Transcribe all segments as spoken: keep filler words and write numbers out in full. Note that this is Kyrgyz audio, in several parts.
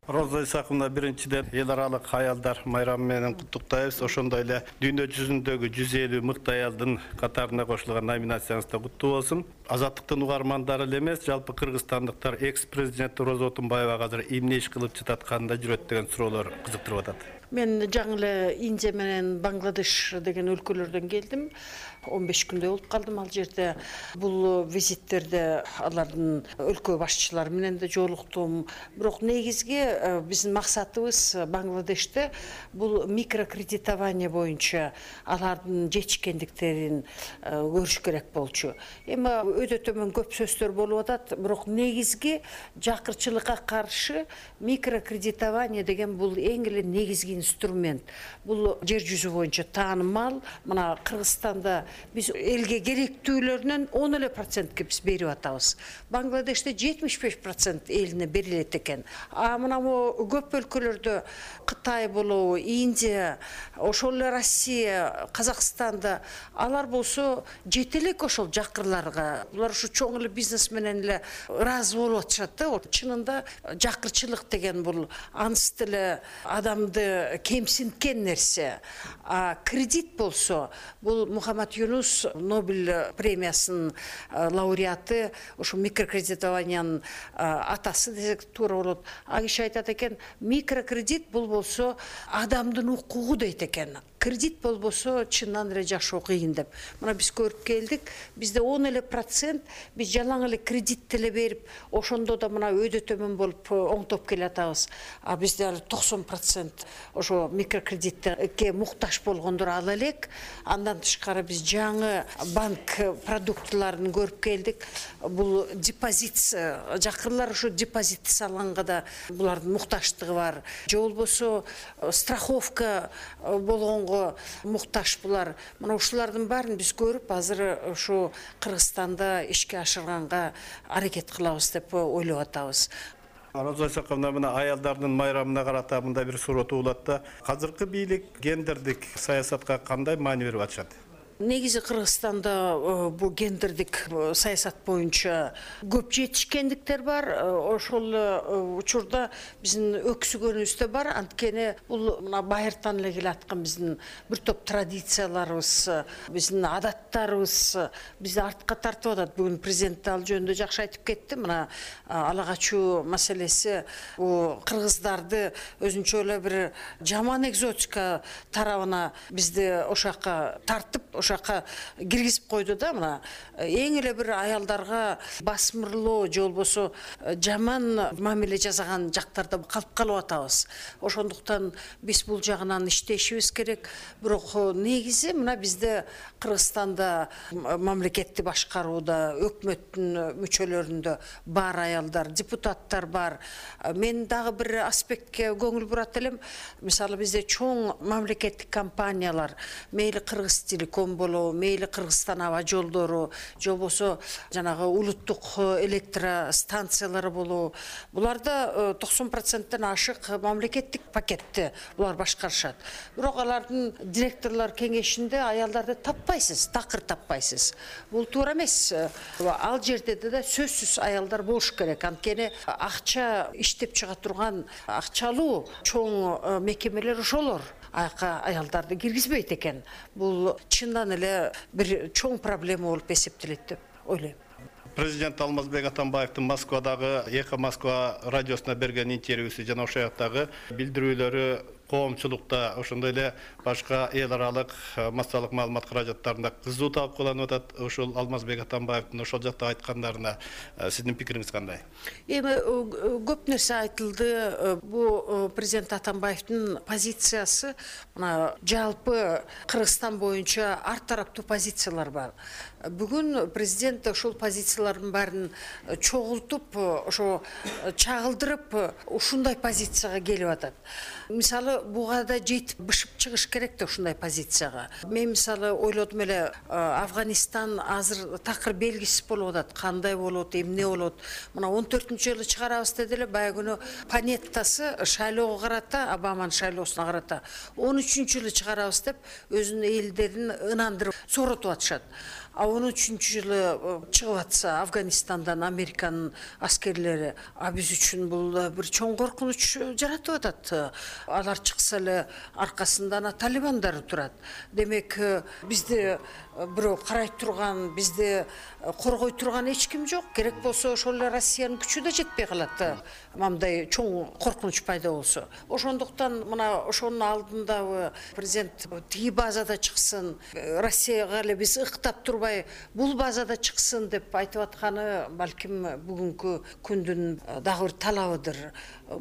Роза Исаковна, биринчиден эл аралык аялдар майрамы менен куттуктайбыз. Ошондой эле дүйнө жүзүндөгү жүз элүү мыкты аялдын катарына кошулган номинацияңызда куттуу болсун. Азаттыктын угармандары эле эмес, жалпы кыргызстандыктар экс-президент Роза Отунбаевага азыр эмне иш кылып жатат, кандай жүрөт деген суроолор кызыктырып атат. Мен жаңы эле Индия менен Бангладеш деген өлкөлөрдөн келдим. он беш күндөй болуп калдым ал жерде. Бул визиттерде алардын өлкө башчылары менен да жолуктум. Бирок негизги биздин максатыбыз Бангладеште бул микрокредитование боюнча алардын жетишкендиктерин көрүш керек болчу. Эми өтө төмөн көп сөздөр болуп атат, бирок негизги жакырчылыкка каршы микрокредитование деген бул эң эле негизги инструмент. Бул жер жүзү боюнча таанымал. Мына Кыргызстанда биз элге керектүүлөрүнөн он эле процентке биз берип атабыз. Бангладеште жетимиш беш процент элине берилет экен. А мына көп өлкөлөрдө Кытай болобу, Индия, ошол эле Россия, Казакстанда алар болсо жете элек ошол жакырларга. Булар ушу чоң эле бизнес менен эле ыраазы болуп атышат да. Чынында жакырчылык деген бул анс деле адамды кемсинткен нерсе. А кредит болсо бул Мухаммад Юнус Нобель премиясынын лауреаты, ошо микрокредитованиянын атасы десек туура болот. А киши айтат экен, микрокредит бул болсо адамдын укугу дейт экен. Кредит болбосо чындан эле жашоо кыйын деп. Мына биз көрүп келдик. Бизде он эле процент биз жалаң эле кредит деле берип, ошондо да мына өйдө төмөн болуп оңтоп келатабыз. А бизде али токсон процент ошо микрокредитке муктаж болгондор ала элек. Андан тышкары биз жаңы банк продуктыларын көрүп келдик. Бул депозит, жакырлар ошо депозит салганга да булардын муктаждыгы бар. Же болбосо страховка болгон муктаж булар. Мына ушулардын баарын биз көрүп, азыр ушу Кыргызстанда ишке ашырганга аракет кылабыз деп ойлоп атабыз. Роза Исаковна, мына аялдардын майрамына карата мындай бир суроо туулат да. Азыркы бийлик гендердик саясатка кандай маани берип атышат? Негизи Кыргызстанда бул гендердик саясат боюнча көп жетишкендиктер бар. Ошол учурда биздин өксүгөнүбүз бар. Анткени бул мына байыртан эле келаткан биздин бир топ традицияларыбыз, биздин адаттарыбыз бизди артка тартып атат. Бүгүн президент ал жөнүндө жакшы айтып кетти. Мына ала качуу маселеси бул кыргыздарды өзүнчө эле бир жаман экзотика тарабына бизди ошакка тартып, ошакка киргизип койду да. Мына эң эле бир аялдарга басмырлоо же болбосо жаман мамиле жасаган жактарда калып калып атабыз. Ошондуктан биз бул жагынан иштешибиз керек. Бирок негизи мына бизде Кыргызстанда мамлекетти башкарууда, өкмөттүн мүчөлөрүндө бар аялдар, депутаттар бар. Мен дагы бир аспектке көңүл бурат элем. Мисалы бизде чоң мамлекеттик компаниялар, мейли Кыргыз Телеком болобу, мейли Кыргызстан аба жолдору, же болбосо жанагы улуттук электростанциялары болобу, буларда токсон проценттен ашык мамлекеттик пакетти булар башкарышат. Бирок алардын директорлор кеңешинде аялдарды таппайсыз, такыр таппайсыз. Бул туура эмес. Ал жерде да сөзсүз аялдар болуш керек. Анткени акча иштеп чыга турган акчалуу чоң мекемелер ошолор. Аяка аялдарды киргизбейт экен. Бул чындан эле бир чоң проблема болуп эсептелет деп ойлойм. Президент Алмазбек Атамбаевдин Москвадагы Эхо Москва радиосуна берген интервьюсу жана ошол жактагы билдирүүлөрү коомчулукта, ошондой эле башка эл аралык массалык маалымат каражаттарында кызуу талкууланып атат. Ошол Алмазбек Атамбаевдин ошол жакта айткандарына сиздин пикириңиз кандай? Эми көп нерсе айтылды. Бу президент Атамбаевдин позициясы мына жалпы Кыргызстан боюнча ар тараптуу позициялар бар. Бүгүн президент ошол позициялардын баарын чогултуп, ошо чагылдырып, ушундай позицияга келип атат. Мисалы буга да жетип бышып чыгыш керек да ушундай позицияга. Мен мисалы ойлодум эле, Афганистан азыр такыр белгисиз болуп атат. Кандай болот, эмне болот? Мына он төртүнчү жылы чыгарабыз деди эле, баягы күнү Панеттасы шайлоого карата, Обаманын шайлоосуна карата он үчүнчү жылы чыгарабыз деп өзүнүн элдерин ынандырып соротуп атышат. а он үчүнчү жылы чыгып атса Афганистандан Американын аскерлери, а биз үчүн бул бир чоң коркунуч жаратып атат. Алар чыкса эле аркасында талибандар турат. Демек, бизди бирөө карай турган, бизди коргой турган эч ким жок. Керек болсо ошол эле Россиянын күчү да жетпей калат. Мындай чоң коркунуч пайда болсо. Ошондуктан мына ошонун алдында президент тиги базада чыксын, Россияга эле биз ыктап турбай, бул базада чыксын деп айтып атканы балким бүгүнкү күндүн дагы бир талабыдыр.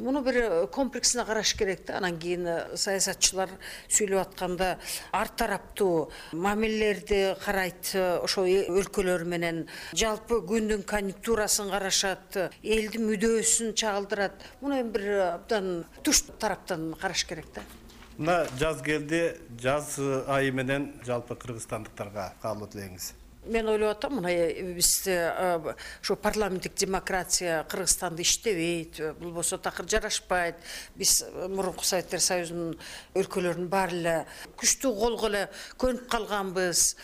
Муну бир комплексине караш керек да. Анан кийин саясатчылар сүйлөп атканда ар тараптуу мамилелерди карайт, ошо өлкөлөр менен жалпы күндүн конъюнктурасын карашат, элдин мүдөөсүн чагылдырат. Муну эми бир абдан туш тараптан караш керек да. Мына жаз келди, жаз айы менен жалпы кыргызстандыктарга каалоо тилеңиз. Мен ойлоп атам, мына бизде ошо парламенттик демократия Кыргызстанда иштебейт, болбосо такыр жарашпайт. Биз мурунку Советтер Союзунун өлкөлөрүнүн баары эле күчтүү колго эле көнүп калганбыз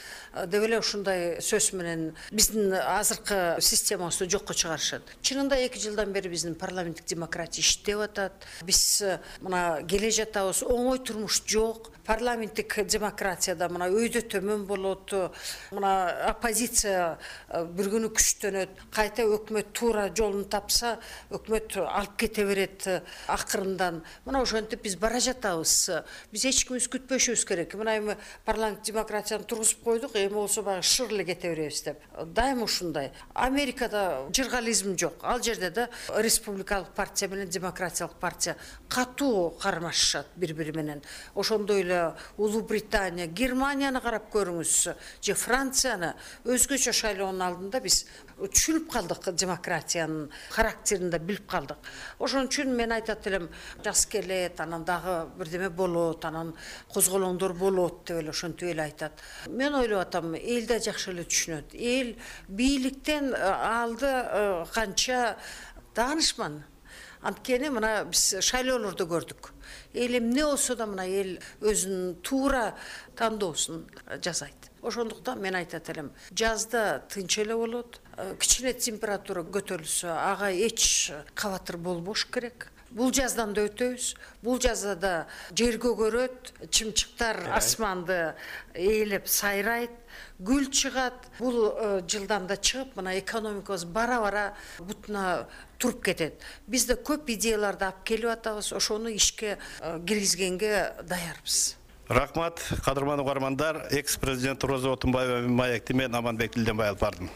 деп эле ушундай сөз менен биздин азыркы системабызды жокко чыгарышат. Чынында эки жылдан бери биздин парламенттик демократия иштеп атат. Биз мына келе жатабыз, оңой турмуш жок. Парламенттик демократияда мына өйдө төмөн болот, мына оппозиция бир күнү күчтөнөт, кайта өкмөт туура жолун тапса, өкмөт алып кете берет акырындан. Мына ошентип биз бара жатабыз. Биз эч кимибиз күтпөшүбүз керек. Мына эми парламенттик демократияны тургузуп койдук, эми болсо баягы шыр эле кете беребиз деп. Дайыма ушундай. Америкада жыргализм жок. Ал жерде да республикалык партия менен демократиялык партия катуу кармашышат бири-бири менен. Ошондой эле Улуу Британия, Германияны карап көрүңүз, же Францияны. Өзгөчө шайлоонун алдында биз түшүнүп калдык, демократиянын характерин да билип калдык. Ошон үчүн мен айтат элем, жаз келет, анан дагы бирдеме болот, анан козголоңдор болот деп эле ошентип эле айтат. Мен ойлоп атам, эл да жакшы эле түшүнөт. Эл бийликтен алды канча даанышман. Анткени мына биз шайлоолорду көрдүк. Эл эмне болсо да мына эл өзүнүн туура тандоосун жасайт. Ошондуктан мен айтат элем, жазда тынч эле болот. Кичине температура көтөрүлсө, ага эч кабатыр болбош керек. Бул жаздан да өтөбүз. Бул жазда жер көгөрөт, чымчыктар асманды ээлеп сайрайт, гүл чыгат. Бул жылдан да чыгып, мына экономикабыз бара-бара бутуна туруп кетет. Биз да көп идеяларды алып келип атабыз, ошону ишке киргизгенге даярбыз. Рахмат, кадырман угармандар. Экс-президент Роза Отунбаева маекти мен Аманбек Дилденбай алып бардым.